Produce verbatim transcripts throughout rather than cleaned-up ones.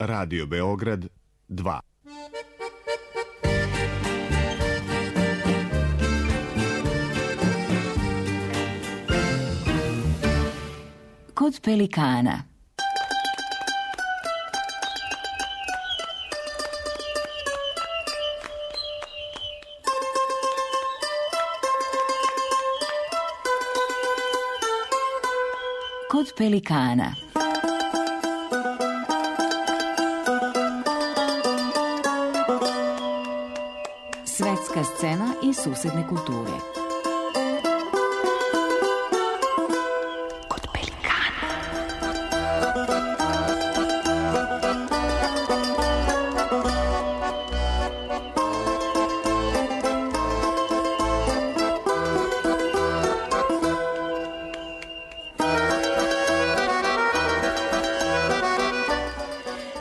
Radio Beograd dva. Kod pelikana. Kod pelikana. Svetska scena i susedne kulture. Kod pelikana.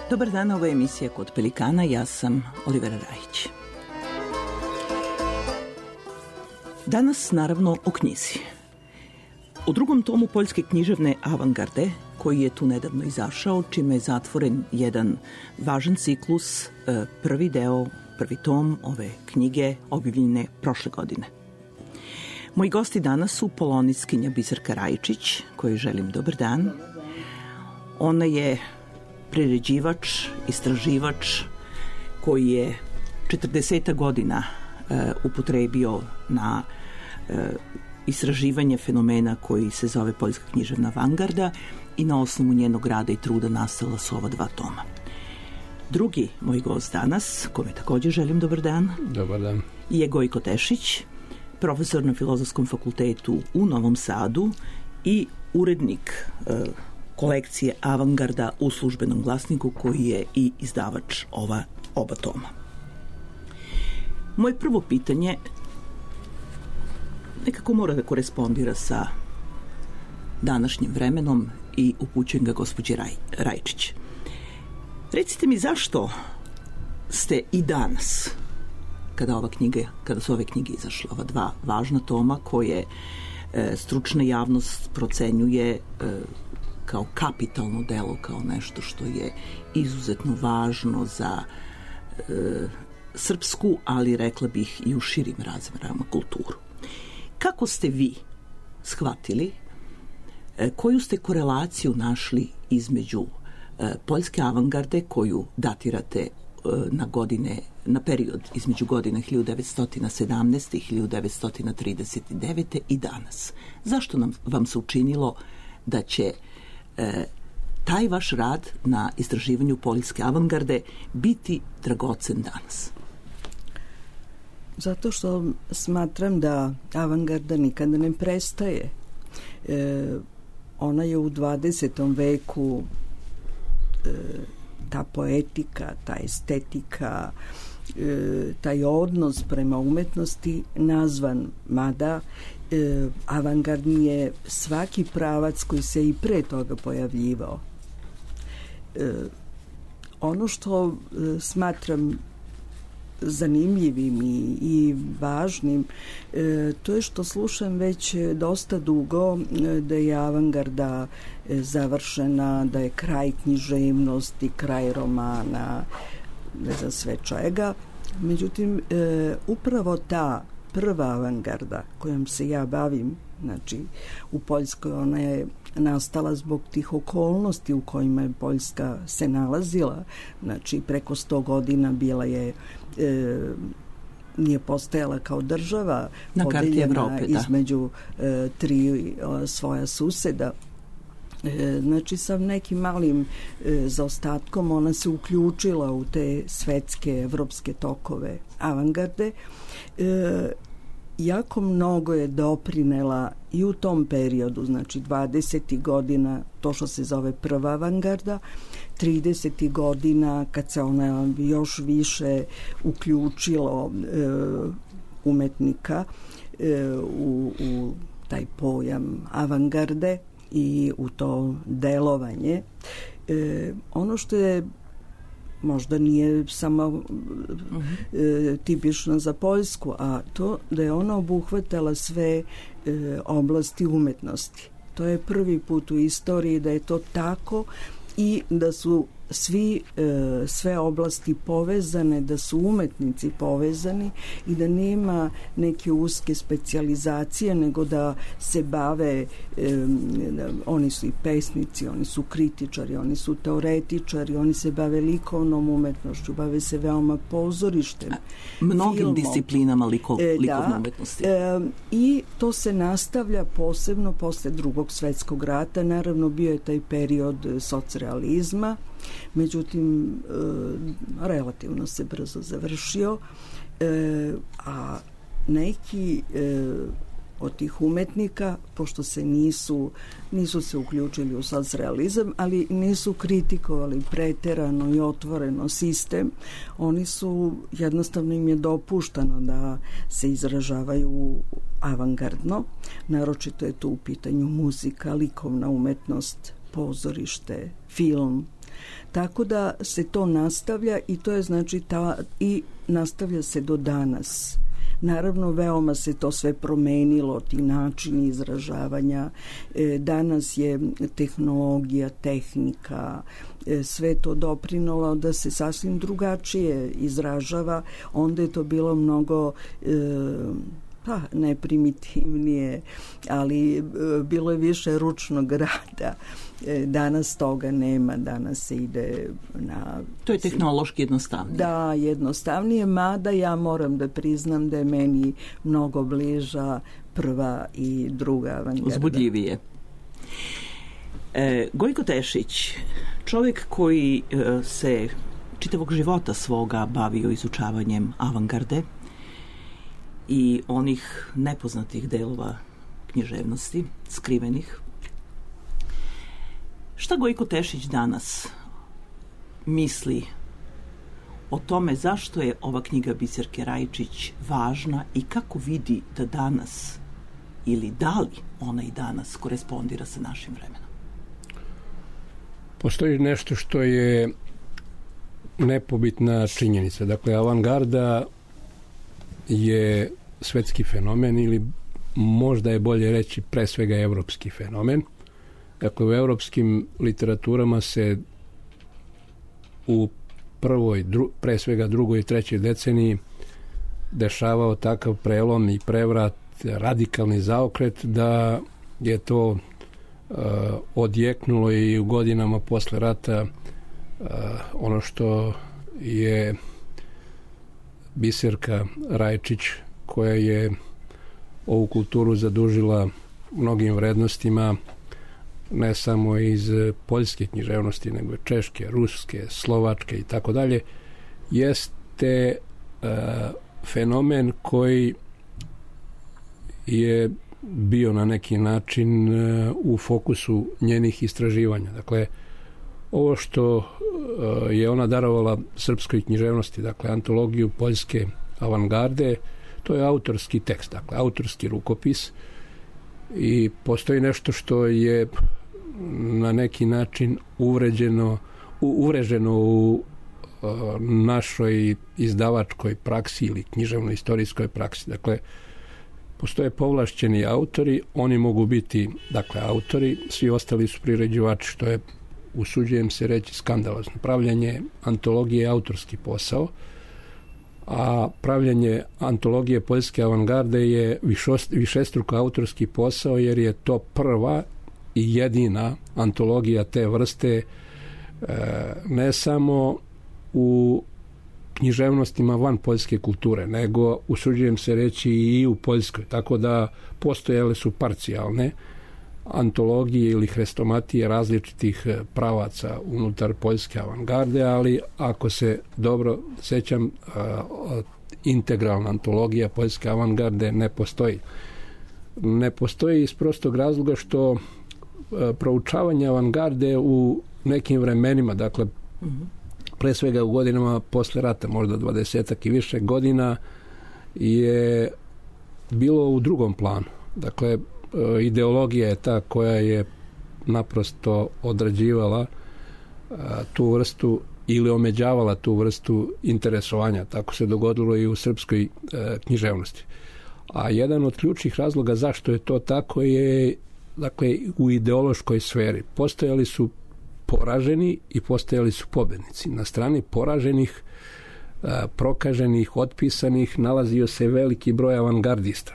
Dobar dan, ovo je emisija Kod pelikana, ja sam Olivera Rajić. Danas, naravno, o knjizi. U drugom tomu poljske književne avangarde, koji je tu nedavno izašao, čime je zatvoren jedan važan ciklus, prvi deo, prvi tom ove knjige objavljene prošle godine. Moji gosti danas su polonistkinja Biserka Rajičić, kojoj želim dobar dan. Ona je priređivač, istraživač koji je četrdeset godina e, upotrebio na e, istraživanje fenomena koji se zove poljska književna avangarda i na osnovu njenog rada i truda nastala su ova dva toma. Drugi moj gost danas, kome također želim dobar dan, dobar dan, je Gojko Tešić, profesor na Filozofskom fakultetu u Novom Sadu i urednik e, kolekcije Avangarda u Službenom glasniku, koji je i izdavač ova oba toma. Moje prvo pitanje nekako mora da korespondira sa današnjim vremenom i upućujem ga gospođi Raj, Rajčić. Recite mi, zašto ste i danas, kada ova knjiga, kada su ove knjige izašle, ova dva važna toma koje e, stručna javnost procenjuje e, kao kapitalno delo, kao nešto što je izuzetno važno za e, srpsku, ali rekla bih i u širim razmerama kulturu. Kako ste vi shvatili, e, koju ste korelaciju našli između e, poljske avangarde, koju datirate e, na godine, na period između godina hiljadu devetsto sedamnaeste. i hiljadu devetsto trideset devete. i danas? Zašto nam, vam se učinilo da će E, taj vaš rad na istraživanju poljske avangarde biti dragocen danas? Zato što smatram da avangarda nikada ne prestaje. E, ona je u dvadesetom veku, e, ta poetika, ta estetika, e, taj odnos prema umetnosti nazvan, mada E, avangardni je svaki pravac koji se i pre toga pojavljivao. E, ono što e, smatram zanimljivim i, i važnim, e, to je što slušam već dosta dugo e, da je avangarda e, završena, da je kraj književnosti, kraj romana, ne znam sve čega. Međutim, e, upravo ta prva avangarda kojom se ja bavim, znači u Poljskoj, ona je nastala zbog tih okolnosti u kojima je Poljska se nalazila, znači preko sto godina bila je, e, nije postojala kao država, na karti Evrope, da, između e, tri o, svoja suseda. E, znači sa nekim malim e, zaostatkom ona se uključila u te svetske evropske tokove avangarde. E, jako mnogo je doprinela i u tom periodu, znači dvadesetih godina, to što se zove prva avangarda, tridesetih godina kad se ona još više uključilo e, umetnika e, u, u taj pojam avangarde i u to delovanje. E, ono što je možda nije samo uh-huh. e, tipično za Poljsku, a to da je ona obuhvatala sve e, oblasti umetnosti. To je prvi put u istoriji da je to tako i da su svi, e, sve oblasti povezane, da su umetnici povezani i da nema neke uske specijalizacije, nego da se bave, e, da, oni su i pesnici, oni su kritičari, oni su teoretičari, oni se bave likovnom umetnošću, bave se veoma pozorištem, mnogim filmom, disciplinama liko, e, likovne da, umetnosti. E, I to se nastavlja posebno posle Drugog svetskog rata. Naravno, bio je taj period socrealizma, međutim, e, relativno se brzo završio, e, a neki e, od tih umetnika, pošto se nisu, nisu se uključili u socrealizam, ali nisu kritikovali preterano i otvoreno sistem, oni su, jednostavno im je dopuštano da se izražavaju avangardno, naročito je tu u pitanju muzika, likovna umetnost, pozorište, film. Tako da se to nastavlja i to je znači ta, i nastavlja se do danas. Naravno, veoma se to sve promenilo, ti načini izražavanja. E, danas je tehnologija, tehnika, e, sve to doprinalo da se sasvim drugačije izražava. Onda je to bilo mnogo... E, pa ne primitivnije, ali e, bilo je više ručnog rada. E, danas toga nema, danas se ide na... To je tehnološki jednostavnije. Da, jednostavnije, mada ja moram da priznam da je meni mnogo bliža prva i druga avangarda. Uzbudljivije. E, Gojko Tešić, čovjek koji e, se čitavog života svoga bavio izučavanjem avangarde i onih nepoznatih delova književnosti, skrivenih. Šta Gojko Tešić danas misli o tome zašto je ova knjiga Biserke Rajčić važna i kako vidi da danas, ili da li ona i danas korespondira sa našim vremenom? Postoji nešto što je nepobitna činjenica. Dakle, avangarda je svetski fenomen ili možda je bolje reći pre svega evropski fenomen. Dakle, u evropskim literaturama se u prvoj, dru, pre svega drugoj i trećoj deceniji dešavao takav prelom i prevrat, radikalni zaokret da je to uh, odjeknulo i u godinama posle rata uh, ono što je Biserka Rajčić, koja je ovu kulturu zadužila mnogim vrednostima, ne samo iz poljske književnosti, nego češke, ruske, slovačke i tako dalje, jeste uh, fenomen koji je bio na neki način uh, u fokusu njenih istraživanja. Dakle, ovo što uh, je ona darovala srpskoj književnosti, dakle, antologiju poljske avangarde, to je autorski tekst, dakle, autorski rukopis, i postoji nešto što je na neki način uvređeno, u, uvreženo u uh, našoj izdavačkoj praksi ili književno-istorijskoj praksi. Dakle, postoje povlašćeni autori, oni mogu biti, dakle, autori, svi ostali su priređivači, što je, usuđujem se reći, skandalozno. Pravljanje antologije je autorski posao, a pravljanje antologije poljske avangarde je višost, višestruko autorski posao, jer je to prva i jedina antologija te vrste, e, ne samo u književnostima van poljske kulture, nego, usuđujem se reći, i u Poljskoj. Tako da postojale su parcijalne antologije ili hrestomatije različitih pravaca unutar poljske avangarde, ali ako se dobro sećam, integralna antologija poljske avangarde ne postoji. Ne postoji iz prostog razloga što proučavanje avangarde u nekim vremenima, dakle, pre svega u godinama posle rata, možda dvadesetak i više godina, je bilo u drugom planu. Dakle, ideologija je ta koja je naprosto odrađivala tu vrstu ili omeđavala tu vrstu interesovanja. Tako se dogodilo i u srpskoj književnosti. A jedan od ključnih razloga zašto je to tako je, dakle, u ideološkoj sferi. Postojali su poraženi i postajali su pobednici. Na strani poraženih, prokaženih, otpisanih nalazio se veliki broj avangardista.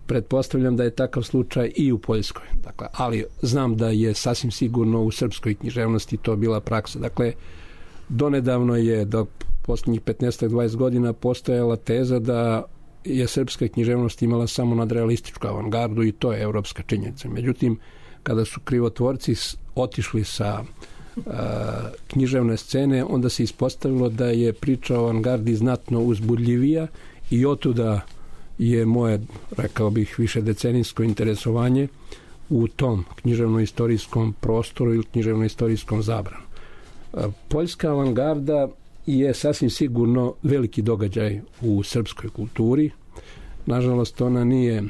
Pretpostavljam da je takav slučaj i u Poljskoj. Dakle, ali znam da je sasvim sigurno u srpskoj književnosti to bila praksa. Dakle, donedavno je, do posljednjih petnaest do dvadeset godina, postojala teza da je srpska književnost imala samo nadrealističku avangardu i to je evropska činjenica. Međutim, kada su krivotvorci otišli sa uh, književne scene, onda se ispostavilo da je priča o avangardi znatno uzbudljivija i otuda je moje, rekao bih, više decenijsko interesovanje u tom književno-istorijskom prostoru ili književno-istorijskom zabranu. Uh, Poljska avangarda je sasvim sigurno veliki događaj u srpskoj kulturi. Nažalost, ona nije uh,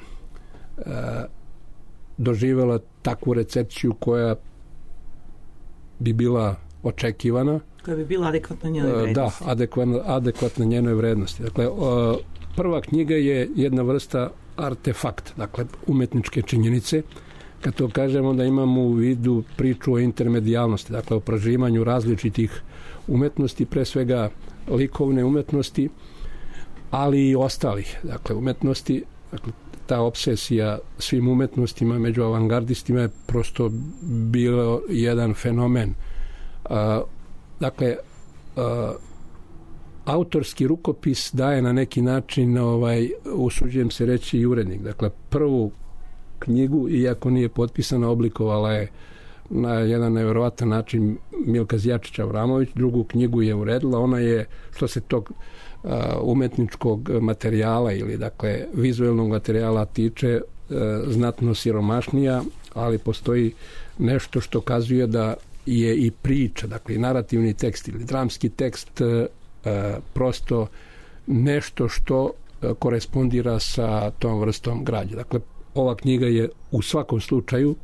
doživjela takvu recepciju koja bi bila očekivana. Koja bi bila adekvatna njenoj vrednosti. Da, adekvatna, adekvatna njenoj vrednosti. Dakle, prva knjiga je jedna vrsta artefakt, dakle, umetničke činjenice. Kad to kažemo, da imamo u vidu priču o intermedijalnosti, dakle, o proživanju različitih umetnosti, pre svega likovne umetnosti, ali i ostalih, dakle, umetnosti. Dakle, ta obsesija svim umetnostima među avangardistima je prosto bilo jedan fenomen. Uh, dakle, uh, autorski rukopis daje na neki način, ovaj, usuđujem se reći, i urednik. Dakle, prvu knjigu, iako nije potpisana, oblikovala je na jedan nevjerovatan način Milka Zjačić-Avramović, drugu knjigu je uredila, ona je, što se tog uh, umetničkog materijala ili, dakle, vizuelnog materijala tiče, uh, znatno siromašnija, ali postoji nešto što kazuje da je i priča, dakle, i narativni tekst ili dramski tekst uh, prosto nešto što uh, korespondira sa tom vrstom građe. Dakle, ova knjiga je u svakom slučaju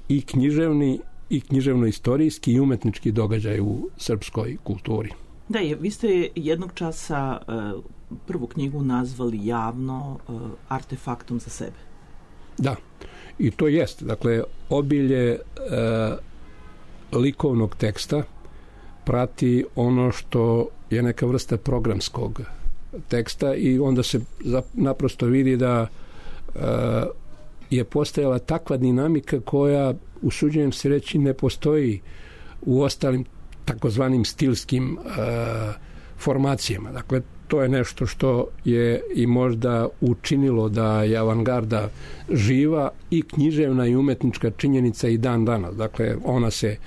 i književni, i književno-istorijski i umetnički događaj u srpskoj kulturi. Da, je, vi ste jednog časa uh, prvu knjigu nazvali javno uh, artefaktom za sebe. Da, i to jest. Dakle, obilje uh, likovnog teksta prati ono što je neka vrsta programskog teksta i onda se naprosto vidi da uh, je postojala takva dinamika koja, usuđujem se reći, ne postoji u ostalim takozvanim stilskim uh, formacijama. Dakle, to je nešto što je i možda učinilo da je avangarda živa i književna i umetnička činjenica i dan danas. Dakle, ona se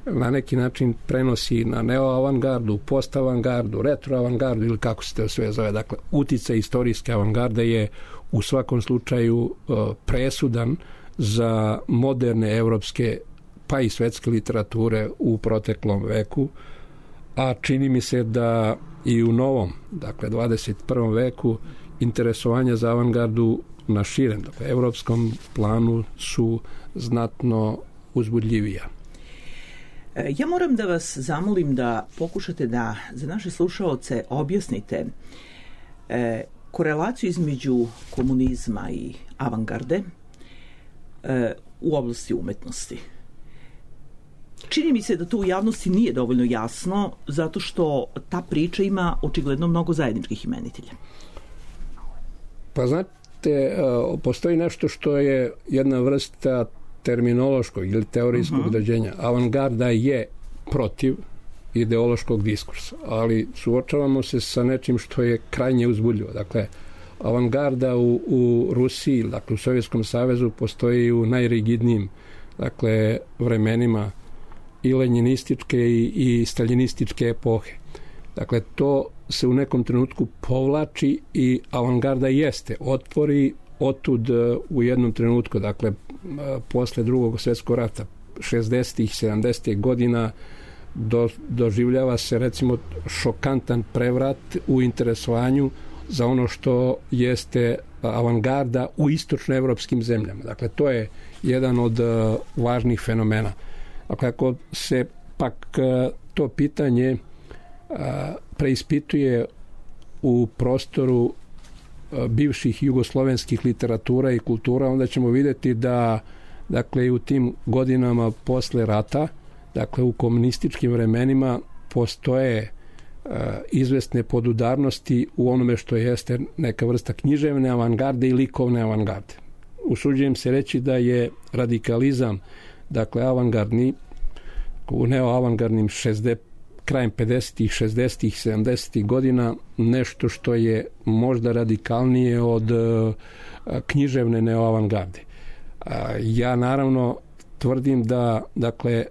na neki način prenosi na neoavangardu, postavangardu, retroavangardu ili kako se to sve zove. Dakle, uticaj istorijske avangarde je u svakom slučaju uh, presudan za moderne evropske pa i svetske literature u proteklom veku, a čini mi se da i u novom, dakle dvadeset prvom veku, interesovanja za avangardu na širem, dakle evropskom planu su znatno uzbudljivija. Ja moram da vas zamolim da pokušate da za naše slušaoce objasnite e, korelaciju između komunizma i avangarde e, u oblasti umetnosti. Čini mi se da to u javnosti nije dovoljno jasno, zato što ta priča ima očigledno mnogo zajedničkih imenitelja. Pa znate, postoji nešto što je jedna vrsta terminološkog ili teorijskog uh-huh. određenja. Avangarda je protiv ideološkog diskursa, ali suočavamo se sa nečim što je krajnje uzbudljivo. Dakle, avangarda u, u Rusiji, dakle u Sovjetskom savezu, postoji u najrigidnijim, dakle, vremenima i lenjinističke i, i staljinističke epohe. Dakle, to se u nekom trenutku povlači i avangarda jeste otpori otud u jednom trenutku, dakle, posle drugog svjetskog rata, šezdesetih, sedamdesetih godina, do, doživljava se, recimo, šokantan prevrat u interesovanju za ono što jeste avangarda u istočnoevropskim zemljama. Dakle, to je jedan od uh, važnih fenomena. Dakle, ako se pak uh, to pitanje uh, preispituje u prostoru uh, bivših jugoslovenskih literatura i kultura, onda ćemo vidjeti da dakle i u tim godinama posle rata, dakle u komunističkim vremenima postoje uh, izvesne podudarnosti u onome što jeste neka vrsta književne avangarde i likovne avangarde. Usuđujem se reći da je radikalizam, dakle avangardni, u neoavangardnim šezdesetih krajem pedesetih, šezdesetih, sedamdesetih godina nešto što je možda radikalnije od uh, književne neoavangarde. Uh, ja naravno tvrdim da, dakle,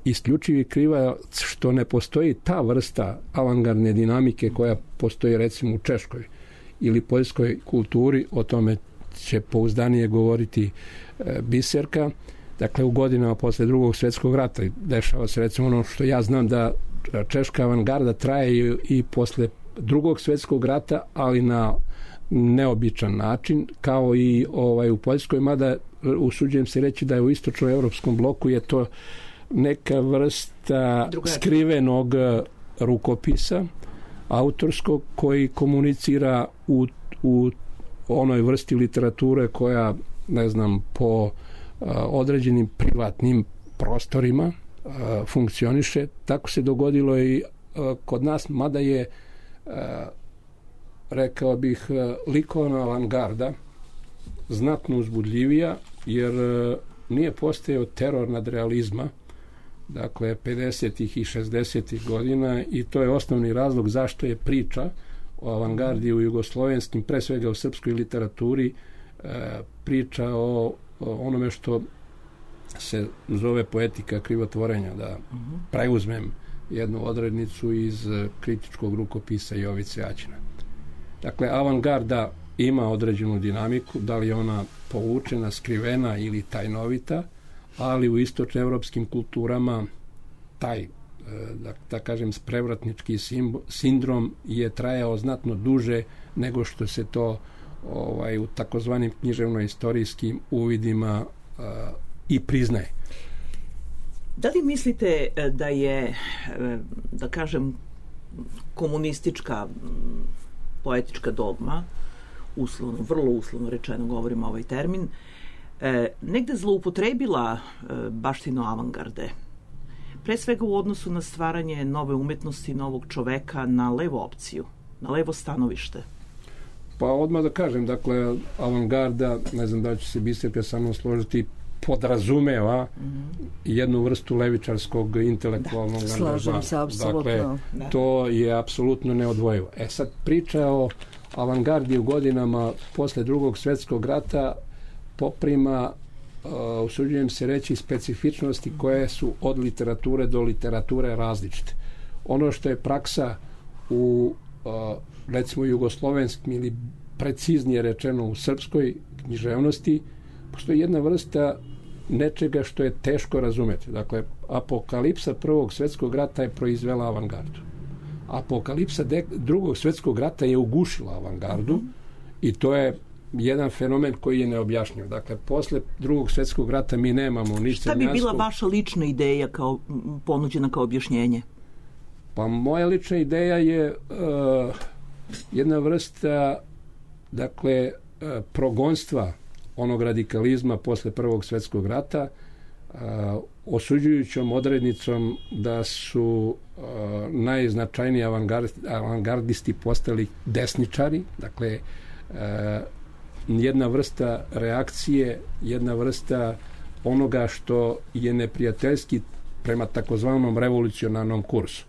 isključivi krivac što ne postoji ta vrsta avangardne dinamike koja postoji recimo u češkoj ili poljskoj kulturi, o tome će pouzdanije govoriti uh, Biserka. Dakle, u godinama posle drugog svjetskog rata dešava se recimo ono što ja znam da češka avangarda traje i, i posle drugog svjetskog rata, ali na neobičan način, kao i ovaj u Poljskoj, mada usuđujem se reći da je u istočnoevropskom bloku je to neka vrsta Drugači. skrivenog rukopisa autorskog koji komunicira u, u onoj vrsti literature koja, ne znam, po a, određenim privatnim prostorima a, funkcioniše. Tako se dogodilo i a, kod nas, mada je a, rekao bih likovna avangarda znatno uzbudljivija, jer a, nije postojao teror nad realizma, dakle pedesetih i šezdesetih godina, i to je osnovni razlog zašto je priča o avangardi u jugoslovenskim, pre svega u srpskoj literaturi, e, priča o, o onome što se zove poetika krivotvorenja, da preuzmem jednu odrednicu iz kritičkog rukopisa Jovice Aćina. Dakle, avangarda ima određenu dinamiku, da li je ona povučena, skrivena ili tajnovita, ali u istočnoevropskim kulturama taj, da, da kažem, sprevratnički sindrom je trajao znatno duže nego što se to ovaj, u takozvanim književno-istorijskim uvidima uh, i priznaje. Da li mislite da je, da kažem, komunistička poetička dogma, uslovno, vrlo uslovno rečeno govorimo ovaj termin, E, negde zloupotrebila e, baštinu avangarde, pre svega u odnosu na stvaranje nove umetnosti, novog čoveka, na levu opciju, na levo stanovište? Pa odmah da kažem, dakle, avangarda, ne znam da će se Biserka sa mnom složiti, podrazumeva mm-hmm. jednu vrstu levičarskog intelektualnog da, slažem se, apsolutno. Dakle, da. to je apsolutno neodvojivo. E sad, priča o avangardi u godinama posle drugog svjetskog rata poprima, uh, usuđujem se reći, specifičnosti koje su od literature do literature različite. Ono što je praksa u uh, recimo jugoslovenskim ili preciznije rečeno u srpskoj književnosti, postoji jedna vrsta nečega što je teško razumeti. Dakle, apokalipsa prvog svjetskog rata je proizvela avangardu. Apokalipsa de- drugog svjetskog rata je ugušila avangardu i to je jedan fenomen koji je neobjašnjiv. Dakle, posle drugog svjetskog rata mi nemamo ni Šta bi bila vaša lična ideja kao ponuđena kao objašnjenje? Pa moja lična ideja je uh, jedna vrsta, dakle, uh, progonstva onog radikalizma posle prvog svjetskog rata, uh, osuđujućom odrednicom da su uh, najznačajniji avangard, avangardisti postali desničari, dakle, uh, jedna vrsta reakcije, jedna vrsta onoga što je neprijateljski prema takozvanom revolucionarnom kursu.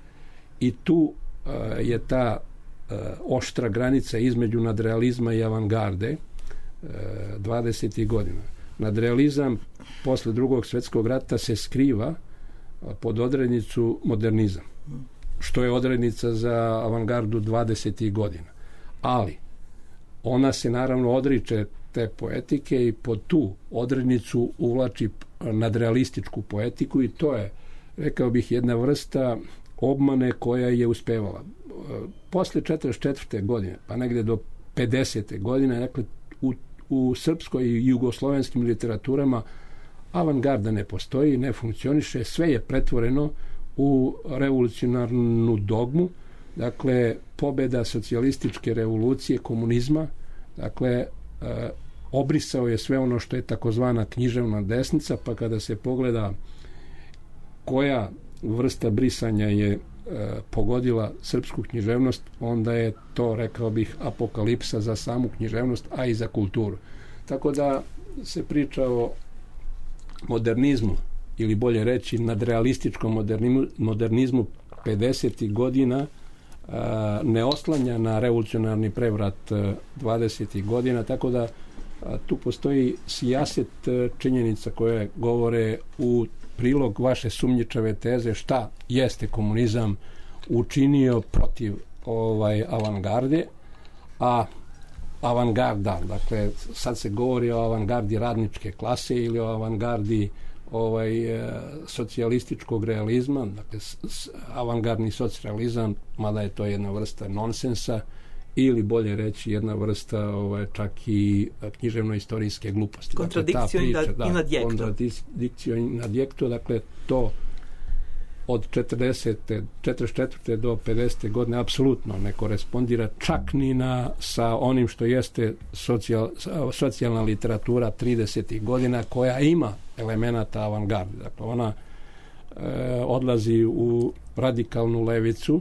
I tu uh, je ta uh, oštra granica između nadrealizma i avangarde uh, dvadesetih godina. Nadrealizam posle drugog svjetskog rata se skriva uh, pod odrednicu modernizam, što je odrednica za avangardu dvadesetih godina. Ali ona se naravno odriče te poetike i pod tu odrednicu uvlači nadrealističku poetiku i to je, rekao bih, jedna vrsta obmane koja je uspevala. Posle četrdeset četvrte godine, pa negde do pedesete godine, dakle, u, u srpskoj i jugoslovenskim literaturama avangarda ne postoji, ne funkcioniše, sve je pretvoreno u revolucionarnu dogmu. Dakle, pobeda socijalističke revolucije, komunizma, dakle, e, obrisao je sve ono što je takozvana književna desnica, pa kada se pogleda koja vrsta brisanja je e, pogodila srpsku književnost, onda je to, rekao bih, apokalipsa za samu književnost, a i za kulturu. Tako da se priča o modernizmu, ili bolje reći nadrealističkom modernizmu, modernizmu pedesetih godina, a, ne oslanja na revolucionarni prevrat dvadesetih godina, tako da a, tu postoji sijaset činjenica koje govore u prilog vaše sumnjičave teze šta jeste komunizam učinio protiv ovaj avangarde, a avangarda, dakle sad se govori o avangardi radničke klase ili o avangardi ovaj socijalističkog realizma, dakle avangardni socijalizam, mada je to jedna vrsta nonsensa, ili bolje reći jedna vrsta ovaj, čak i književno-istorijske gluposti. Kontradikcio dakle, i nadjekto. Kontradikcio i nadjekto, dakle to od četrdesete, četrdeset četvrte do pedesete godine apsolutno ne korespondira čak ni na sa onim što jeste socijal, socijalna literatura tridesetih godina, koja ima elemenata avangarde. Dakle, ona e, odlazi u radikalnu levicu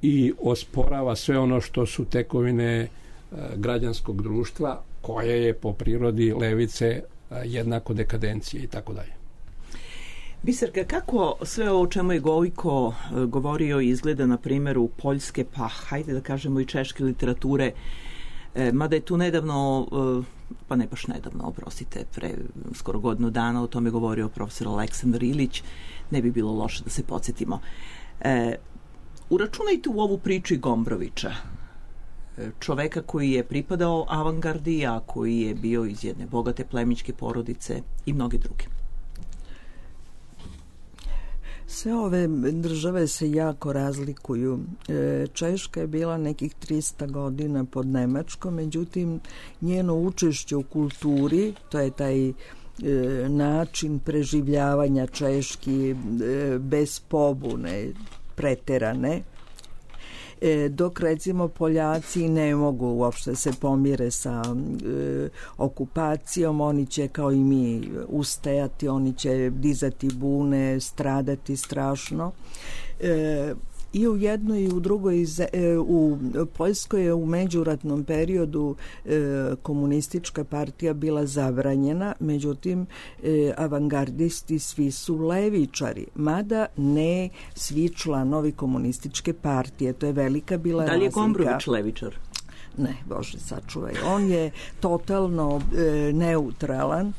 i osporava sve ono što su tekovine e, građanskog društva, koje je po prirodi levice e, jednako dekadencije i tako dalje. Biserka, kako sve ovo o čemu je Gojko govorio izgleda na primjeru poljske, pa hajde da kažemo i češke literature, e, mada je tu nedavno, e, pa ne baš nedavno, oprostite, pre skoro godinu dana o tome govorio profesor Aleksandar Ilić, ne bi bilo loše da se podsjetimo. E, uračunajte u ovu priču i Gombrovića, čoveka koji je pripadao avangardi, a koji je bio iz jedne bogate plemićke porodice i mnogi drugi. Sve ove države se jako razlikuju. Češka je bila nekih trista godina pod Nemačkom, međutim njeno učešće u kulturi, to je taj način preživljavanja Češki bez pobune preterane, dok recimo Poljaci ne mogu uopšte se pomire sa e, okupacijom, oni će kao i mi ustajati, oni će dizati bune, stradati strašno. E, I u jednoj i u drugoj, u Poljskoj je u međuratnom periodu komunistička partija bila zabranjena, međutim avangardisti svi su levičari, mada ne svi članovi komunističke partije. To je velika bila razlika. Da li je Gombrović levičar? Ne, Bože sačuvaj. On je totalno e, neutralan.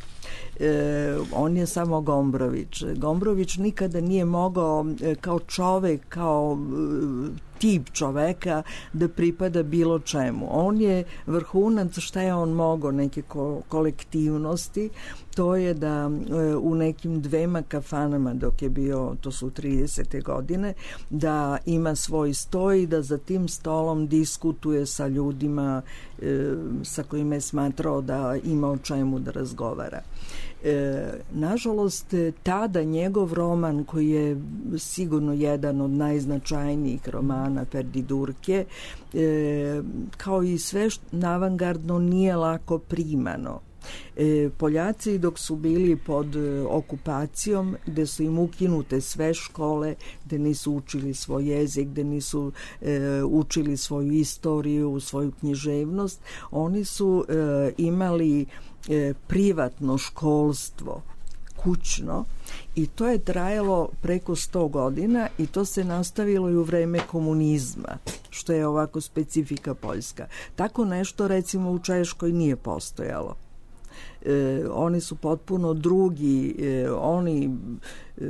E, on je samo Gombrović. Gombrović nikada nije mogao e, kao čovek, kao e, tip čoveka da pripada bilo čemu. On je vrhunac, šta je on mogao, neke ko, kolektivnosti, to je da e, u nekim dvema kafanama dok je bio, to su tridesete godine, da ima svoj stoj i da za tim stolom diskutuje sa ljudima e, sa kojima je smatrao da ima o čemu da razgovara. E, nažalost, tada njegov roman, koji je sigurno jedan od najznačajnijih romana Perdidurke, e, kao i sve avangardno, nije lako primano. E, Poljaci dok su bili pod e, okupacijom, gde su im ukinute sve škole, gde nisu učili svoj jezik, gde nisu e, učili svoju istoriju, svoju književnost, oni su e, imali e, privatno školstvo, kućno, i to je trajalo preko sto godina i to se nastavilo i u vreme komunizma, što je ovako specifika Poljska. Tako nešto recimo u Češkoj nije postojalo. E, oni su potpuno drugi, e, oni e,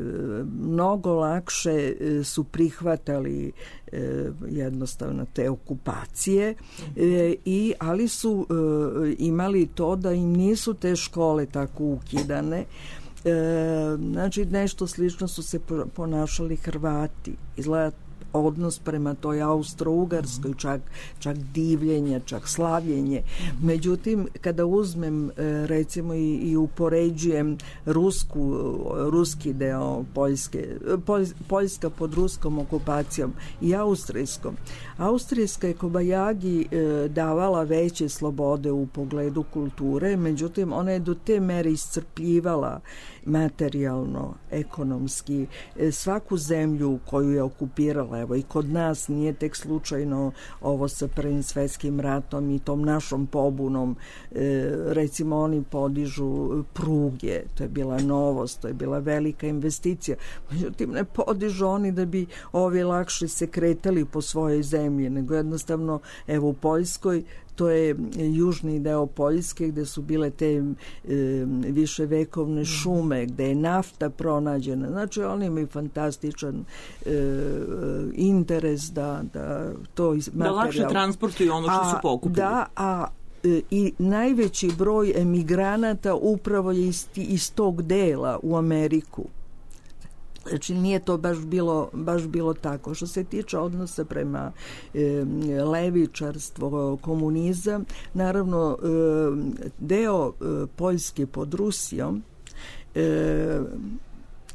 mnogo lakše e, su prihvatali e, jednostavno te okupacije, e, i, ali su e, imali to da im nisu te škole tako ukidane. E, znači nešto slično su se ponašali Hrvati. Izgleda odnos prema toj Austro-Ugarskoj, čak, čak divljenje, čak slavljenje. Međutim, kada uzmem recimo i, i upoređujem rusku, ruski deo Poljske, Poljska pod ruskom okupacijom i austrijskom, austrijska je Kobajagi davala veće slobode u pogledu kulture, međutim ona je do te mere iscrpljivala materijalno, ekonomski svaku zemlju koju je okupirala. Evo i kod nas nije tek slučajno ovo sa Prvim svetskim ratom i tom našom pobunom. E, recimo oni podižu pruge, to je bila novost, to je bila velika investicija. Međutim, ne podižu oni da bi ovi lakše se kretali po svojoj zemlji, nego jednostavno, evo u Poljskoj, to je južni deo Poljske gde su bile te e, viševekovne šume, gde je nafta pronađena. Znači oni imaju fantastičan e, interes da, da to materijal... Da lakše transportuju ono što su pokupili. Da, a e, i najveći broj emigranata upravo je iz, iz tog dela u Ameriku. Znači nije to baš bilo, baš bilo tako. Što se tiče odnosa prema e, levičarstvo, komunizam, naravno e, deo e, Poljske pod Rusijom e,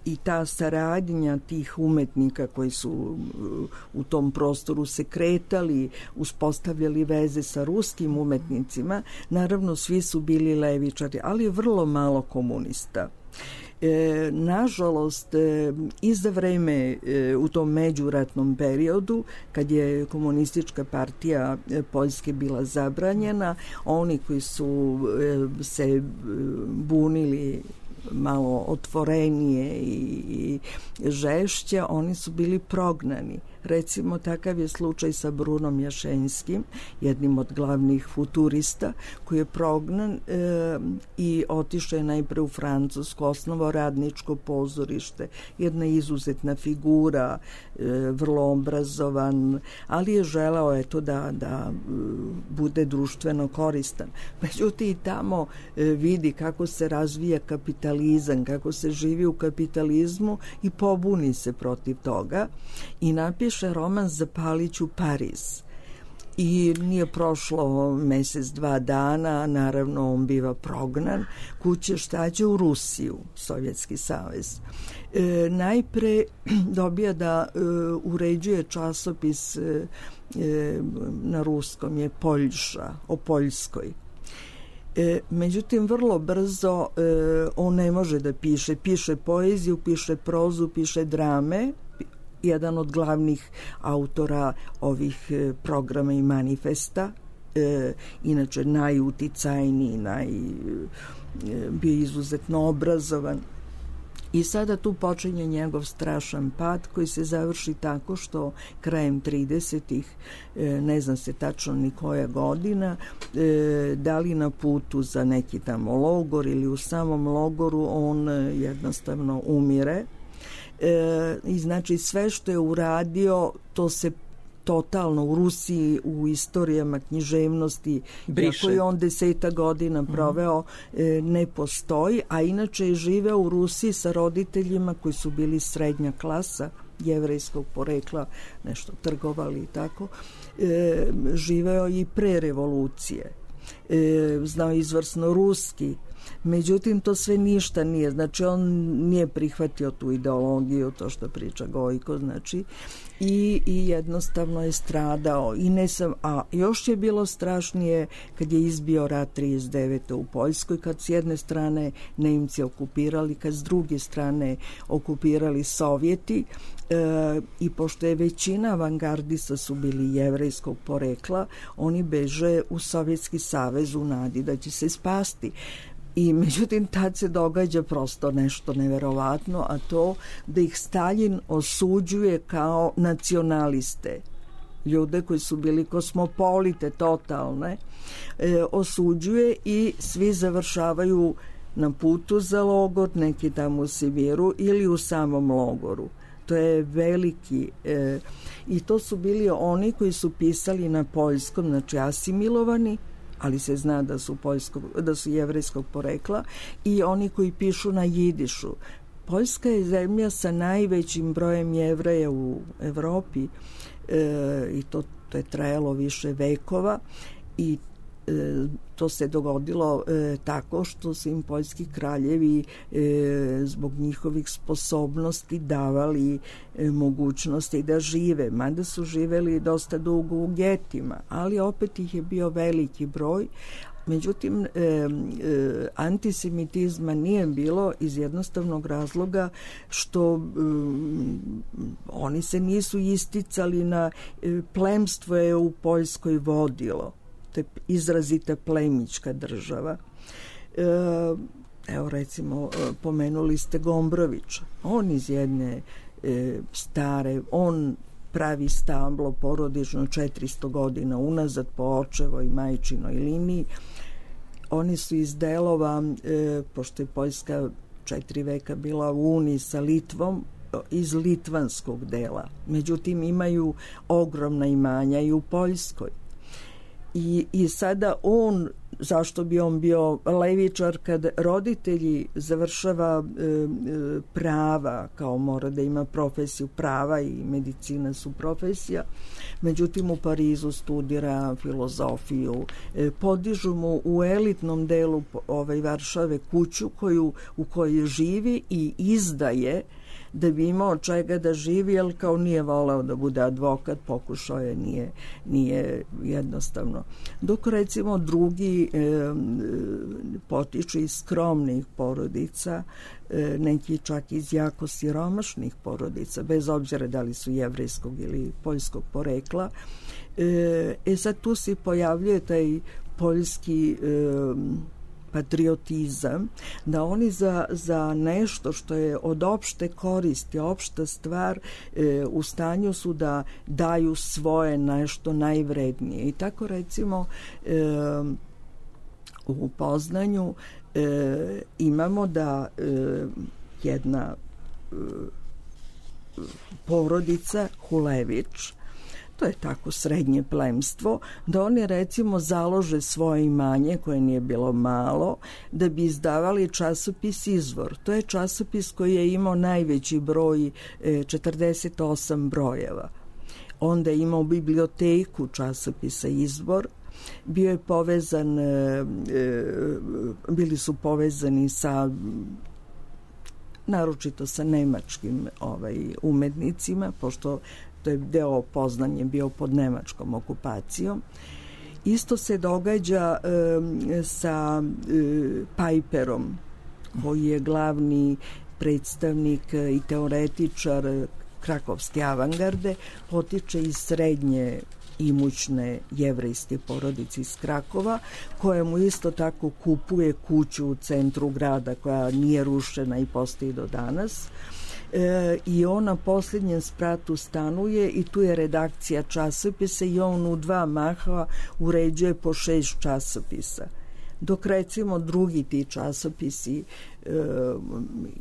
i ta saradnja tih umetnika koji su u tom prostoru se kretali, uspostavljali veze sa ruskim umetnicima, naravno svi su bili levičari, ali vrlo malo komunista. E, nažalost, e, i za vreme e, u tom međuratnom periodu, kad je komunistička partija e, Poljske bila zabranjena, oni koji su e, se e, bunili malo otvorenije i, i žešće, oni su bili prognani. Recimo, takav je slučaj sa Brunom Jašenskim, jednim od glavnih futurista, koji je prognan e, i otišao je najpre u Francusku, osnovao radničko pozorište, jedna izuzetna figura, e, vrlo obrazovan, ali je želeo eto da, da e, bude društveno koristan. Međutim, i tamo e, vidi kako se razvija kapitalizam, kako se živi u kapitalizmu i pobuni se protiv toga i napiše roman Zapalit ću Pariz. I nije prošlo mesec, dva dana, naravno on biva prognan, kuće štađe u Rusiju, Sovjetski savez. E, najpre dobija da e, uređuje časopis e, e, na ruskom je Poljša, o Poljskoj. E, međutim, vrlo brzo e, on ne može da piše. Piše poeziju, piše prozu, piše drame, jedan od glavnih autora ovih e, programa i manifesta, e, inače najuticajniji, naj, e, bio izuzetno obrazovan. I sada tu počinje njegov strašan pad koji se završi tako što krajem tridesetih, e, ne zna se tačno ni koja godina, e, da li na putu za neki tamo logor ili u samom logoru, on jednostavno umire. E, i znači sve što je uradio to se totalno u Rusiji u istorijama književnosti briše. Iako je on deseta godina proveo mm. e, ne postoji, a inače je živeo u Rusiji sa roditeljima koji su bili srednja klasa jevrejskog porekla, nešto trgovali i tako, e, živeo i pre revolucije, e, znao izvrsno ruski. Međutim, to sve ništa nije. Znači, on nije prihvatio tu ideologiju, to što priča Gojko, znači, i, i jednostavno je stradao. I ne sam, a još je bilo strašnije kad je izbio rat trideset devete u Poljskoj, kad s jedne strane Nemci okupirali, kad s druge strane okupirali Sovjeti, e, i pošto je većina avangardista su bili jevrejskog porekla, oni beže u Sovjetski savez u nadi da će se spasti. I međutim, tad se događa prosto nešto neverovatno, a to da ih Staljin osuđuje kao nacionaliste. Ljude koji su bili kosmopolite totalne, e, osuđuje i svi završavaju na putu za logor, neki tamo u Sibiru ili u samom logoru. To je veliki... E, I to su bili oni koji su pisali na poljskom, znači asimilovani, ali se zna da su, poljskog, da su jevrejskog porekla, i oni koji pišu na jidišu. Poljska je zemlja sa najvećim brojem Jevreja u Evropi e, i to, to je trajalo više vekova i e, to se dogodilo e, tako što su im poljski kraljevi e, zbog njihovih sposobnosti davali e, mogućnosti da žive, mada su živeli dosta dugo u getima, ali opet ih je bio veliki broj. Međutim, e, e, antisemitizma nije bilo iz jednostavnog razloga što e, oni se nisu isticali na e, plemstvo je u Poljskoj vodilo. To je izrazita plemička država. E, evo recimo, pomenuli ste Gombrovića. On iz jedne e, stare, on pravi stablo porodično četiristo godina unazad po očevoj i majčinoj liniji. Oni su iz delova, e, pošto je Poljska četiri veka bila u uniji sa Litvom, iz litvanskog dela. Međutim, imaju ogromna imanja i u Poljskoj. I, i sada on, zašto bi on bio levičar kad roditelji završava e, e, prava, kao mora da ima profesiju prava i medicina su profesija, međutim u Parizu studira filozofiju, e, podižu mu u elitnom delu ovaj, Varšave kuću koju, u kojoj živi i izdaje da bi imao čega da živi, jer kao nije voleo da bude advokat, pokušao je, nije, nije jednostavno. Dok recimo drugi e, potiču iz skromnih porodica, e, neki čak iz jako siromašnih porodica, bez obzira da li su jevrejskog ili poljskog porekla. E, e sad tu se pojavljuje taj poljski e, patriotizam, da oni za, za nešto što je od opšte koristi, opšta stvar, e, u stanju su da daju svoje nešto najvrednije. I tako recimo e, u Poznanju e, imamo da e, jedna e, porodica Hulević, to je tako srednje plemstvo, da oni recimo založe svoje imanje, koje nije bilo malo, da bi izdavali časopis Izvor. To je časopis koji je imao najveći broj, četrdeset osam brojeva. Onda je imao biblioteku časopisa Izvor, bio je povezan, bili su povezani sa naročito sa nemačkim ovaj, umetnicima, pošto to je deo Poznanje bio pod nemačkom okupacijom. Isto se događa e, sa e, Pajperom, koji je glavni predstavnik i teoretičar krakovske avangarde, potiče iz srednje imućne jevrejske porodice iz Krakova, koja mu isto tako kupuje kuću u centru grada koja nije rušena i postoji do danas. E, i on na posljednjem spratu stanuje i tu je redakcija časopisa i on u dva maha uređuje po šest časopisa. Dok recimo drugi ti časopisi e,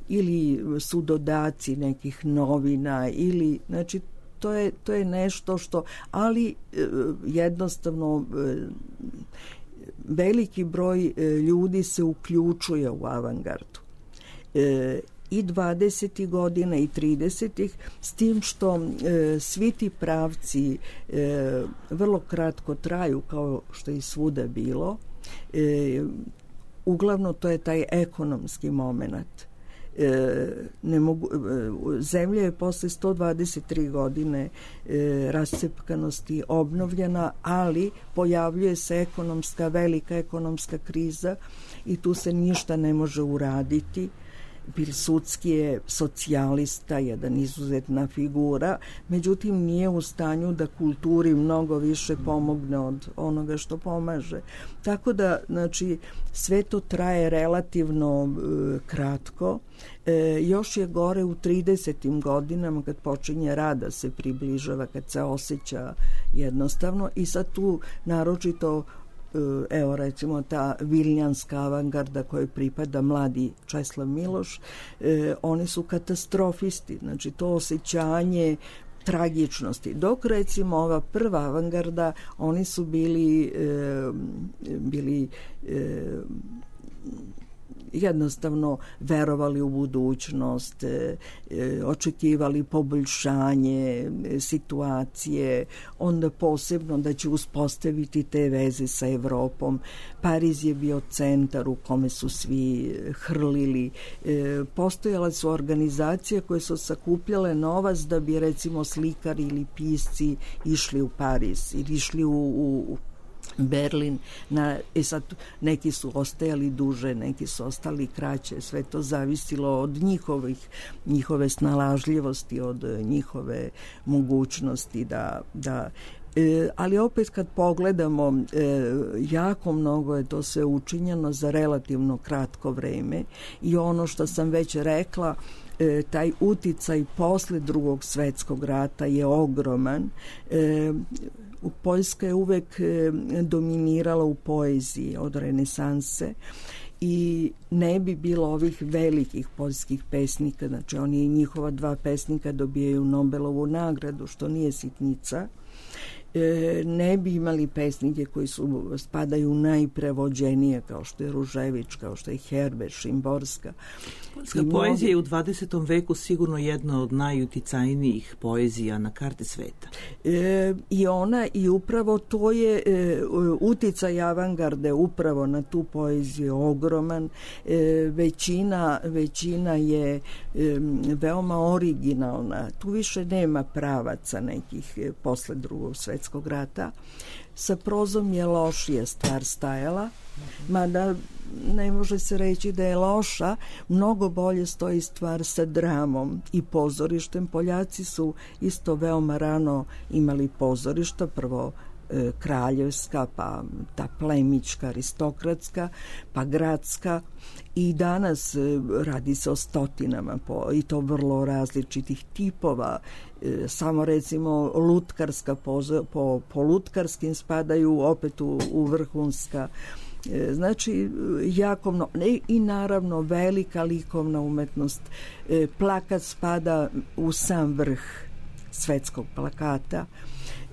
ili su dodaci nekih novina ili, znači, to je, to je nešto što, ali e, jednostavno e, veliki broj e, ljudi se uključuje u avangardu. E, i dvadesetih godina i tridesetih, s tim što e, svi ti pravci e, vrlo kratko traju, kao što je svuda bilo. E, uglavnom to je taj ekonomski moment. E, ne mogu, e, zemlja je posle sto dvadeset tri godine e, rascepkanosti obnovljena, ali pojavljuje se ekonomska, velika ekonomska kriza i tu se ništa ne može uraditi. Pilsudski je socijalista, jedan izuzetna figura, međutim nije u stanju da kulturi mnogo više pomogne od onoga što pomaže. Tako da, znači, sve to traje relativno e, kratko. E, još je gore u tridesetim godinama, kad počinje rada se približava, kad se osjeća jednostavno, i sad tu naročito, evo recimo ta viljanska avangarda kojoj pripada mladi Česlav Miloš, e, oni su katastrofisti, znači to osjećanje tragičnosti. Dok recimo ova prva avangarda, oni su bili e, bili e, jednostavno verovali u budućnost, e, e, očekivali poboljšanje e, situacije, onda posebno da će uspostaviti te veze sa Evropom. Pariz je bio centar u kome su svi hrlili. E, postojale su organizacije koje su sakupljale novac da bi recimo slikari ili pisci išli u Pariz ili išli u, u Berlin. Na, e sad, neki su ostajali duže, neki su ostali kraće, sve to zavisilo od njihovih, njihove snalažljivosti, od njihove mogućnosti da, da E, ali opet kad pogledamo, e, jako mnogo je to sve učinjeno za relativno kratko vreme i ono što sam već rekla, e, taj uticaj posle Drugog svetskog rata je ogroman. E, Poljska je uvek e, dominirala u poeziji od renesanse i ne bi bilo ovih velikih poljskih pesnika, znači oni i njihova dva pesnika dobijaju Nobelovu nagradu, što nije sitnica. Ne bi imali pesnike koji su spadaju u najprevođenije, kao što je Ružević, kao što je Herbert, Šimborska. Poljska poezija je u dvadesetom veku sigurno jedna od najuticajnijih poezija na karti sveta. E, I ona, i upravo to je e, uticaj avangarde upravo na tu poeziju ogroman. E, većina, većina je e, veoma originalna. Tu više nema pravaca nekih e, posle Drugog svetskog rata. Sa prozom je lošija stvar stajala, mada ne može se reći da je loša, mnogo bolje stoji stvar sa dramom i pozorištem. Poljaci su isto veoma rano imali pozorišta, prvo e, kraljevska, pa ta plemička, aristokratska, pa gradska, i danas e, radi se o stotinama po, i to vrlo različitih tipova. E, samo recimo lutkarska pozo, po, po lutkarskim spadaju opet u, u vrhunska. E, znači jako mno, ne, i naravno velika likovna umetnost. E, plakat spada u sam vrh svetskog plakata.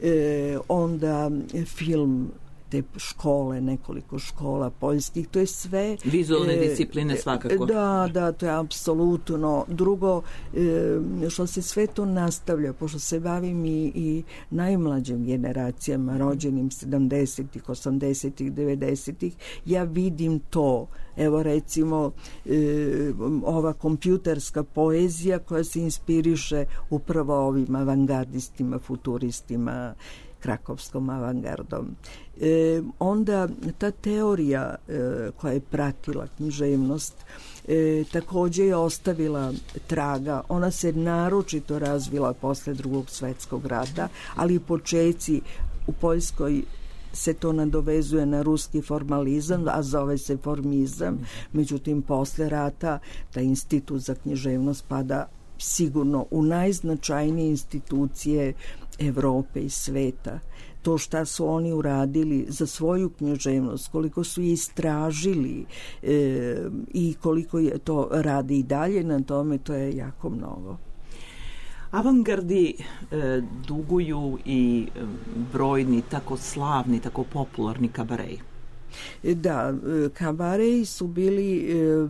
E, onda film, te škole, nekoliko škola poljskih, to je sve... Vizualne e, discipline svakako. Da, da, to je apsolutno. Drugo, e, što se sve to nastavlja, pošto se bavim i, i najmlađim generacijama, rođenim sedamdesetih, osamdesetih, devedesetih, ja vidim to. Evo recimo e, ova kompjuterska poezija koja se inspiriše upravo ovim avangardistima, futuristima, krakovskom avangardom. E, onda ta teorija e, koja je pratila književnost e, također je ostavila traga. Ona se naročito razvila posle Drugog svetskog rata, ali počeci u Poljskoj se to nadovezuje na ruski formalizam, a zove se formizam. Međutim, posle rata taj institut za književnost pada sigurno u najznačajnije institucije Evrope i sveta. To šta su oni uradili za svoju književnost, koliko su je istražili e, i koliko je to radi i dalje na tome, to je jako mnogo. Avangardi e, duguju i brojni tako slavni, tako popularni kabareji. Da, kabareji su bili e,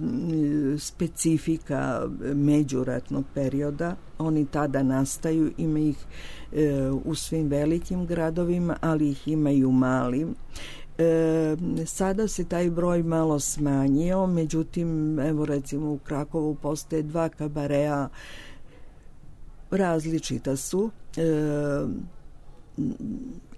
specifika međuratnog perioda. Oni tada nastaju, ima ih e, u svim velikim gradovima, ali ih ima i u malim. E, sada se taj broj malo smanjio, međutim, evo recimo u Krakovu postoje dva kabareja, različita su. E,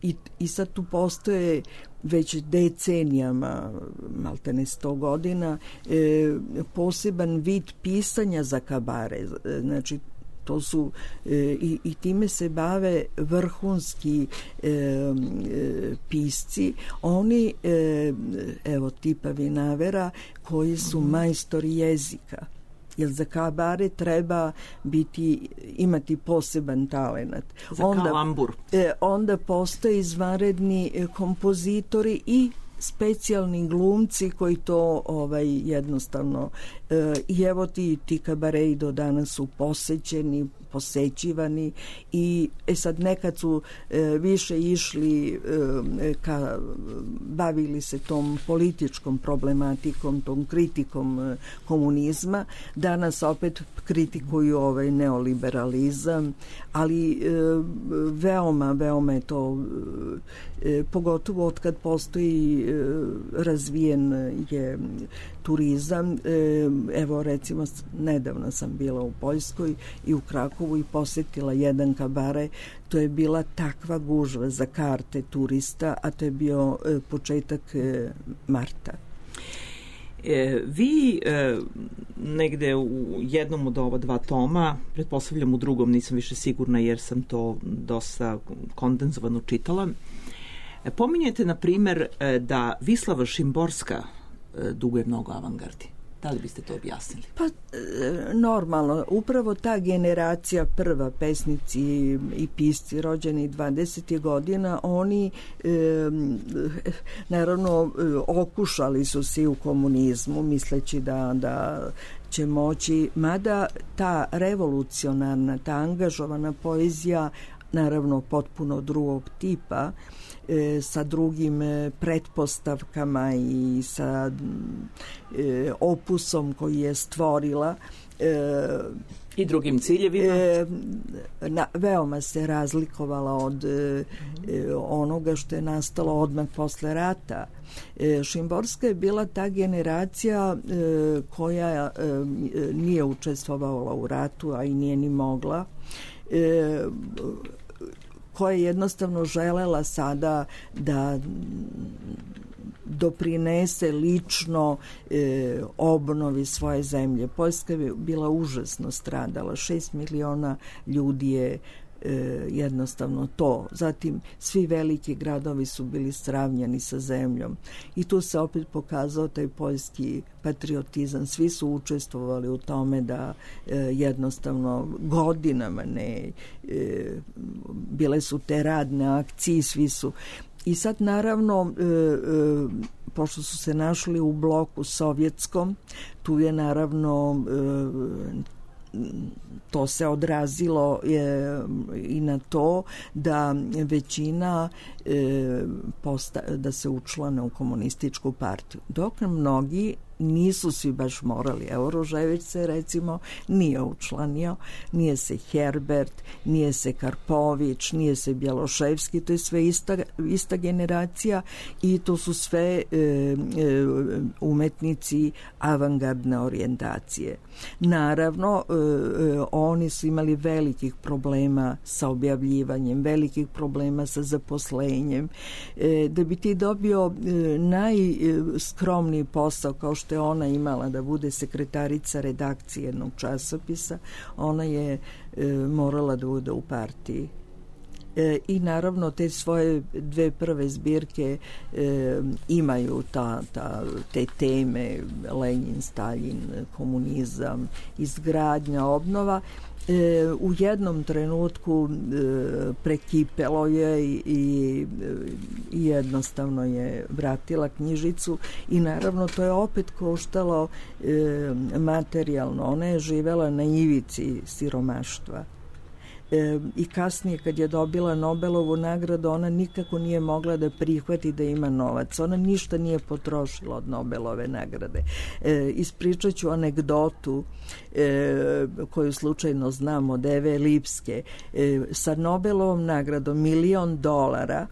I, i sad tu postoje već decenijama, maltene sto godina, e, poseban vid pisanja za kabare. Znači, to su e, i, i time se bave vrhunski e, e, pisci. Oni, e, evo tipa Vinavera, koji su majstori jezika. Jer za kabare treba biti, imati poseban talenat. Za onda, kalambur. E, onda postoje izvanredni e, kompozitori i specijalni glumci koji to ovaj jednostavno e, i evo ti, ti kabareji do danas su posećeni, posećivani i e sad nekad su e, više išli e, ka, bavili se tom političkom problematikom, tom kritikom e, komunizma, danas opet kritikuju ovaj neoliberalizam, ali e, veoma, veoma je to e, pogotovo od kad postoji e, razvijen je turizam. E, evo recimo nedavno sam bila u Poljskoj i u Krakovu i posjetila jedan kabare. To je bila takva gužva za karte turista, a to je bio e, početak e, marta. E, vi e, negde u jednom od ova dva toma, pretpostavljam u drugom, nisam više sigurna jer sam to dosta kondenzovano čitala, e, pominjete na primer e, da Vislava Šimborska e, duguje mnogo avangardi. Da li biste to objasnili? Pa, normalno. Upravo ta generacija prva, pesnici i pisci rođeni dvadesetih godina, oni e, naravno okušali su se u komunizmu, misleći da, da će moći, mada ta revolucionarna, ta angažovana poezija, naravno potpuno drugog tipa, e, sa drugim e, pretpostavkama i sa e, opusom koji je stvorila e, i drugim ciljevima. E, na, veoma se razlikovala od e, onoga što je nastalo odmah posle rata. E, Šimborska je bila ta generacija e, koja e, nije učestvovala u ratu, a i nije ni mogla, e, koja je jednostavno želela sada da doprinese lično e, obnovi svoje zemlje. Poljska je bila užasno stradala, šest miliona ljudi je e, jednostavno to. Zatim svi veliki gradovi su bili sravnjeni sa zemljom i tu se opet pokazao taj poljski patriotizam. Svi su učestvovali u tome da e, jednostavno godinama ne e, bile su te radne akcije, svi su. I sad naravno e, e, pošto su se našli u bloku sovjetskom, tu je naravno e, to se odrazilo je, i na to da većina e, posta, da se učlane u komunističku partiju. Dok mnogi nisu svi baš morali. Evo Rožević se recimo nije učlanio, nije se Herbert, nije se Karpović, nije se Bjeloševski, to je sve ista, ista generacija i to su sve e, e, umetnici avangardne orijentacije. Naravno, e, e, oni su imali velikih problema sa objavljivanjem, velikih problema sa zaposlenjem. E, da bi ti dobio e, najskromniji posao kao što je ona imala da bude sekretarica redakcije jednog časopisa, ona je e, morala da bude u partiji. E, I naravno te svoje dve prve zbirke e, imaju ta, ta, te teme Lenin, Stalin, komunizam, izgradnja, obnova. E, u jednom trenutku e, prekipelo je i, i, i jednostavno je vratila knjižicu i naravno to je opet koštalo e, materijalno. Ona je živela na ivici siromaštva. E, i kasnije kad je dobila Nobelovu nagradu ona nikako nije mogla da prihvati da ima novac. Ona ništa nije potrošila od Nobelove nagrade. E, ispričat ću anegdotu e, koju slučajno znam od Eve Lipske. E, sa Nobelovom nagradom milion dolara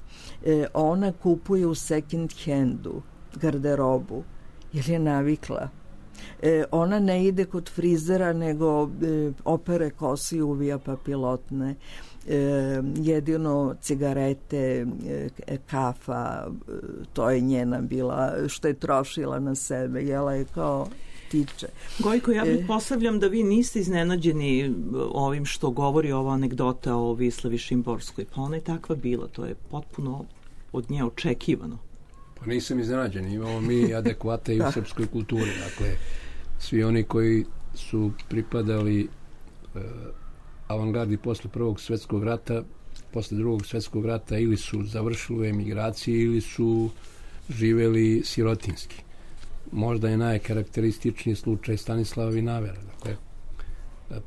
e, ona kupuje u second handu garderobu jer je navikla. E, ona ne ide kod frizera nego e, opere kosi, uvija papilotne, e, jedino cigarete, e, kafa, e, to je njena bila što je trošila na sebe, jela je kao tiče. Gojko, ja bih e, postavljam da vi niste iznenađeni ovim što govori ova anegdota o Vislavi Šimborskoj, pa ona je takva bila, to je potpuno od nje očekivano. Pa nisam iznenađen, imamo mi adekvate i u srpskoj kulturi, dakle svi oni koji su pripadali e, avangardi posle prvog svjetskog rata, posle drugog svjetskog rata ili su završili u emigraciji ili su živeli sirotinski. Možda je najkarakterističniji slučaj Stanislava Vinavera. Dakle,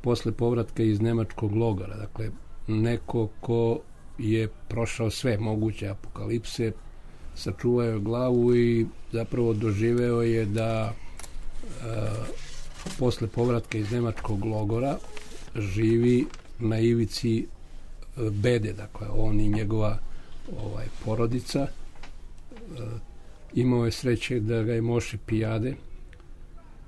posle povratka iz nemačkog logora. Dakle, neko ko je prošao sve moguće apokalipse, sačuvao je glavu i zapravo doživeo je da e, posle povratka iz nemačkog logora živi na ivici e, bede. Dakle, on i njegova ovaj, porodica. E, imao je sreće da ga je Moše Pijade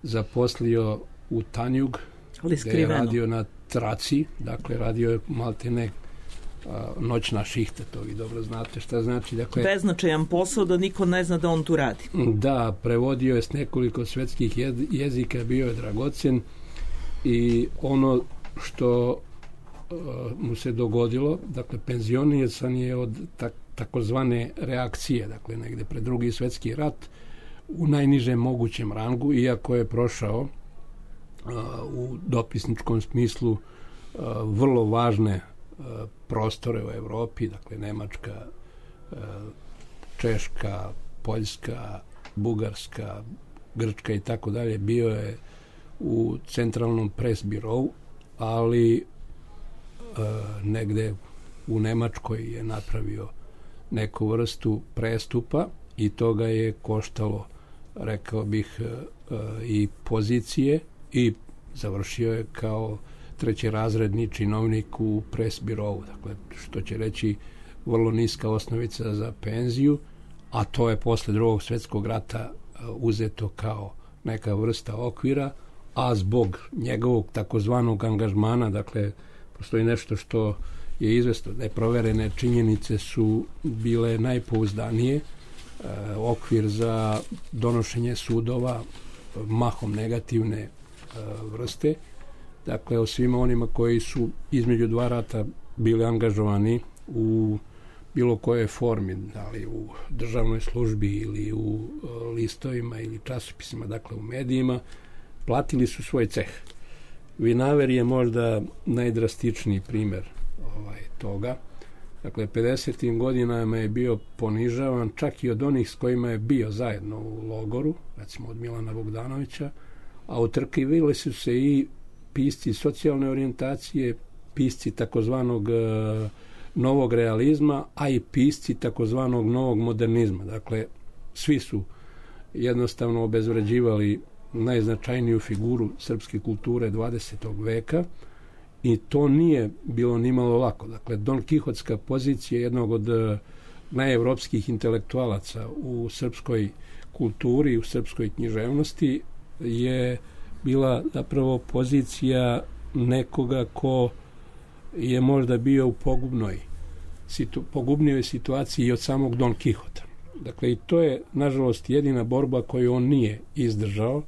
zaposlio u Tanjug, gde je radio na traci, dakle radio je maltene a, noćna šihta, to vi dobro znate šta znači. Dakle, beznačajan posao da niko ne zna da on tu radi. Da, prevodio je s nekoliko svetskih jezika, bio je dragocen i ono što a, mu se dogodilo, dakle penzionisan je od tak, takozvane reakcije, dakle negde pred drugi svetski rat u najnižem mogućem rangu, iako je prošao u dopisničkom smislu vrlo važne prostore u Evropi, dakle Nemačka, Češka, Poljska, Bugarska, Grčka i tako dalje. Bio je u centralnom press birovu, ali negde u Nemačkoj je napravio neku vrstu prestupa i to ga je koštalo, rekao bih, i pozicije, i završio je kao trećerazredni činovnik u pres birovu, dakle, što će reći vrlo niska osnovica za penziju, a to je posle drugog svetskog rata uzeto kao neka vrsta okvira, a zbog njegovog takozvanog angažmana, dakle, postoji nešto što je izvesno, neproverene činjenice su bile najpouzdanije, e, okvir za donošenje sudova, mahom negativne vrste, dakle o svima onima koji su između dva rata bili angažovani u bilo kojoj formi, da li u državnoj službi ili u listovima ili časopisima, dakle u medijima, platili su svoj ceh. Vinaver je možda najdrastičniji primer ovaj, toga. Dakle, pedesetim godinama je bio ponižavan čak i od onih s kojima je bio zajedno u logoru, recimo od Milana Bogdanovića, a utrkivili su se i pisci socijalne orijentacije, pisci takozvanog e, novog realizma, a i pisci takozvanog novog modernizma. Dakle, svi su jednostavno obezvređivali najznačajniju figuru srpske kulture dvadesetog veka i to nije bilo nimalo lako. Dakle, Don Kihotska pozicija jednog od e, najevropskih intelektualaca u srpskoj kulturi, u srpskoj književnosti je bila zapravo pozicija nekoga ko je možda bio u pogubnoj situ, pogubnijoj situaciji i od samog Don Kihota. Dakle, i to je, nažalost, jedina borba koju on nije izdržao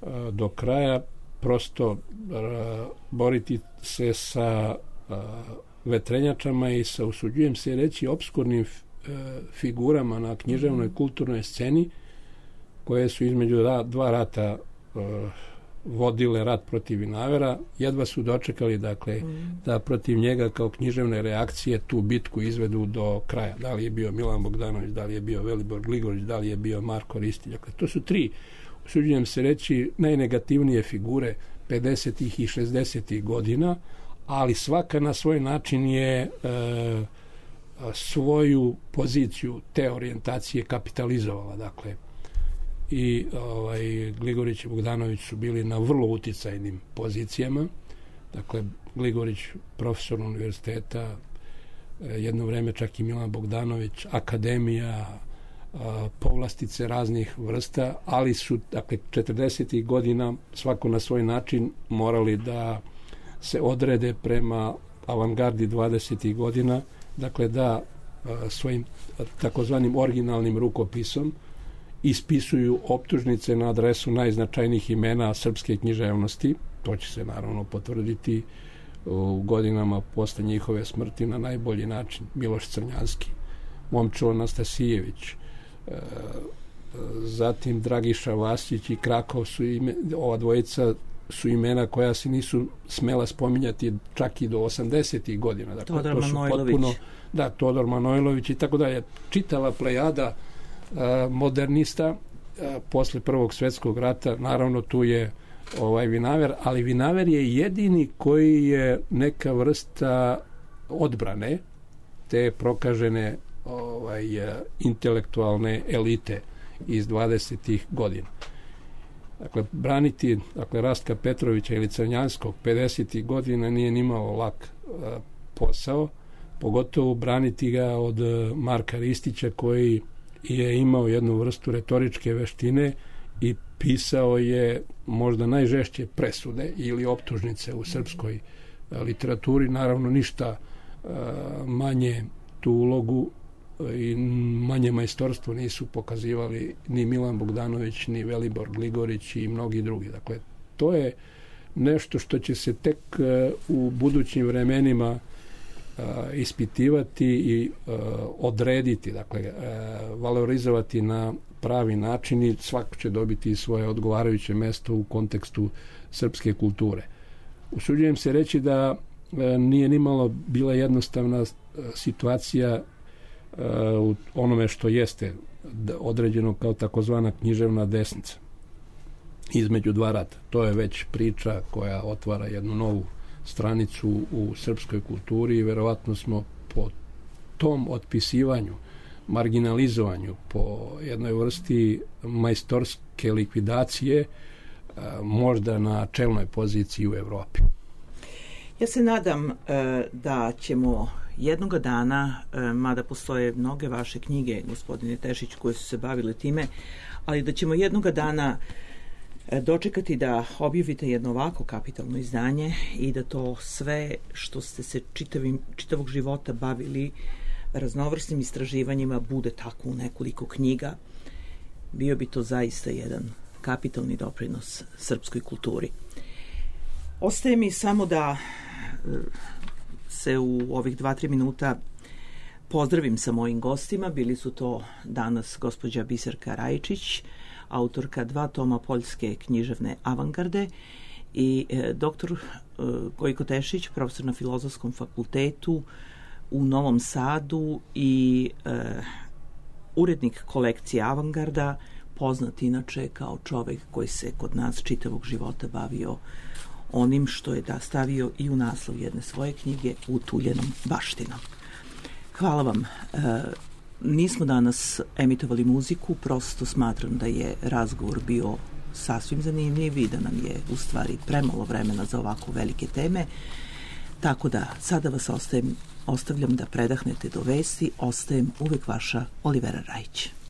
a, do kraja, prosto a, boriti se sa a, vetrenjačama i sa, usuđujem se reći, obskurnim a, figurama na književnoj kulturnoj sceni koje su između ra, dva rata uh, vodile rat protiv Vinavera, jedva su dočekali, dakle, mm. da protiv njega kao književne reakcije tu bitku izvedu do kraja. Da li je bio Milan Bogdanović, da li je bio Velibor Gligorić, da li je bio Marko Ristilj. Dakle, to su tri, usuđujem se reći, najnegativnije figure pedesetih i šezdesetih godina, ali svaka na svoj način je uh, svoju poziciju te orijentacije kapitalizovala. Dakle, i ovaj, Gligorić i Bogdanović su bili na vrlo uticajnim pozicijama. Dakle, Gligorić profesor univerziteta, jedno vreme čak i Milan Bogdanović, akademija, povlastice raznih vrsta, ali su, dakle, četrdesetih godina svako na svoj način morali da se odrede prema avangardi dvadesetih godina, dakle da svojim takozvanim originalnim rukopisom ispisuju optužnice na adresu najznačajnijih imena srpske književnosti. To će se naravno potvrditi u godinama posle njihove smrti na najbolji način. Miloš Crnjanski, Momčilo Anastasijević, e, zatim Dragiša Vasić i Krakov su ime, ova dvojica su imena koja se nisu smela spominjati čak i do osamdesetih godina. Dakle, Todor to su Manojlović. Potpuno, da, Todor Manojlović i tako dalje. Čitava plejada a, modernista a, posle Prvog svjetskog rata. Naravno, tu je ovaj vinaver, ali vinaver je jedini koji je neka vrsta odbrane te prokažene ovaj, intelektualne elite iz dvadesetih godina. Dakle, braniti dakle, Rastka Petrovića ili Crnjanskog pedesetih godina nije nimalo lak a, posao, pogotovo braniti ga od Marka Ristića koji je imao jednu vrstu retoričke veštine i pisao je možda najžešće presude ili optužnice u srpskoj literaturi, naravno ništa manje tu ulogu i manje majstorstvo nisu pokazivali ni Milan Bogdanović, ni Velibor Gligorić i mnogi drugi. Dakle, to je nešto što će se tek u budućim vremenima ispitivati i odrediti, dakle, valorizovati na pravi način i svako će dobiti svoje odgovarajuće mesto u kontekstu srpske kulture. Usuđujem se reći da nije nimalo bila jednostavna situacija u onome što jeste određeno kao takozvana književna desnica između dva rata. To je već priča koja otvara jednu novu stranicu u srpskoj kulturi i verovatno smo po tom otpisivanju, marginalizovanju, po jednoj vrsti majstorske likvidacije možda na čelnoj poziciji u Evropi. Ja se nadam e, da ćemo jednoga dana, e, mada postoje mnoge vaše knjige, gospodine Tešić, koje su se bavile time, ali da ćemo jednoga dana e, dočekati da objavite jedno ovako kapitalno izdanje i da to sve što ste se čitavim, čitavog života bavili raznovrsnim istraživanjima bude tako u nekoliko knjiga. Bio bi to zaista jedan kapitalni doprinos srpskoj kulturi. Ostaje mi samo da se u ovih dva, tri minuta pozdravim sa mojim gostima. Bili su to danas gospođa Biserka Rajčić, autorka dva toma poljske književne avangarde, i e, doktor e, Gojko Tešić, profesor na Filozofskom fakultetu u Novom Sadu i e, urednik kolekcije Avangarda, poznat inače kao čovek koji se kod nas čitavog života bavio onim što je da stavio i u naslov jedne svoje knjige Utuljenom baštinom. Hvala vam. E, nismo danas emitovali muziku, prosto smatram da je razgovor bio sasvim zanimljiv i da nam je u stvari premalo vremena za ovako velike teme. Tako da sada vas ostajem, ostavljam da predahnete do vesti. Ostajem uvek vaša Olivera Rajić.